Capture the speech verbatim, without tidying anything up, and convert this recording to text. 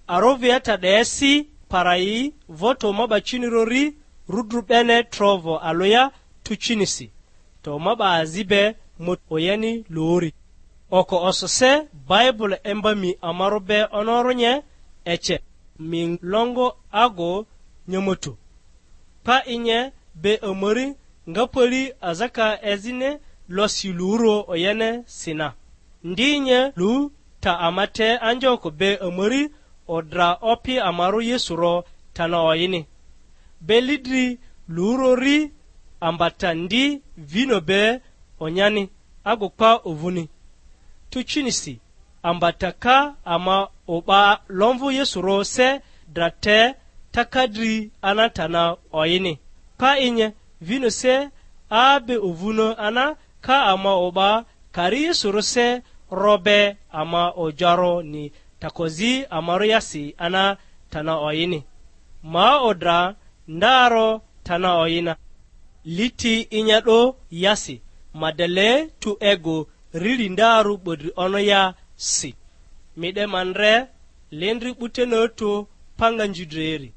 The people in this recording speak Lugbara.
Aroviata 'desi parai voto ma 'ba cini rori rudru 'bene Trovo alᴜya Tucinisi, to ma 'ba azi be mut oyeni lᴜri. Oko osose Baibul emba mi amarᴜ be onorᴜ nye, ece mi longo ago nyomotu. Pa inye be amari nga pali azaka ezini losi luru oyene sina. Ndi nye lu ta ama te anjoko be amari odra Opi amarᴜ Yesu ro tana oyini. Be lidri lurori ambata ndi vino be onyani agu pa ovᴜni. Tucinisi ambata ka ama o'ba lomvᴜ Yesu ro se dra te taka dri anatana oyini. Pa inye vino se a be ovᴜni ana ka ama o'ba kari Yesu ro se ro be ama ojaroni takozi amarᴜ yasi ana tana oyini. Ma odra ndaro tana oyina. Liti inya 'do yasi, ma dele tu ego rili ndarᴜ 'bodri ono ya si. Mi 'de ma ndre lindri 'butene otu panga nzidreri.